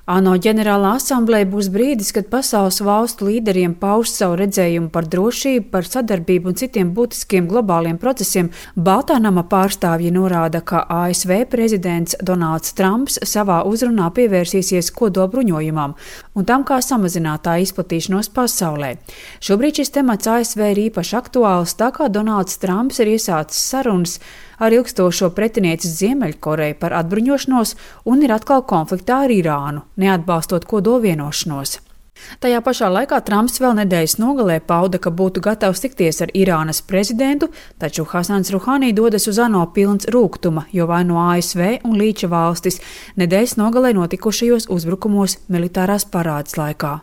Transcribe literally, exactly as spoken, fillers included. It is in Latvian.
ANO ģenerālā asambleja būs brīdis, kad pasaules valstu līderiem pauž savu redzējumu par drošību, par sadarbību un citiem būtiskiem globāliem procesiem. Baltā nama pārstāvji norāda, ka A S V prezidents Donalds Trumps savā uzrunā pievērsīsies kodolbruņojumam un tam, kā samazināt tā izplatīšanos pasaulē. Šobrīd šis temats A S V ir īpaši aktuāls, tā kā Donalds Trumps ir iesācis sarunas ar ilgstošo pretinieci Ziemeļkoreju par atbruņošanos un ir atkal konfliktā ar Irānu, neatbalstot kodolvienošanos. Tajā pašā laikā Trumps vēl nedēļas nogalē pauda, ka būtu gatavs tikties ar Irānas prezidentu, taču Hasans Ruhani dodas uz ANO pilns rūgtuma, jo vaino A S V un līča valstis nedēļas nogalē notikušajos uzbrukumos militārās parādes laikā.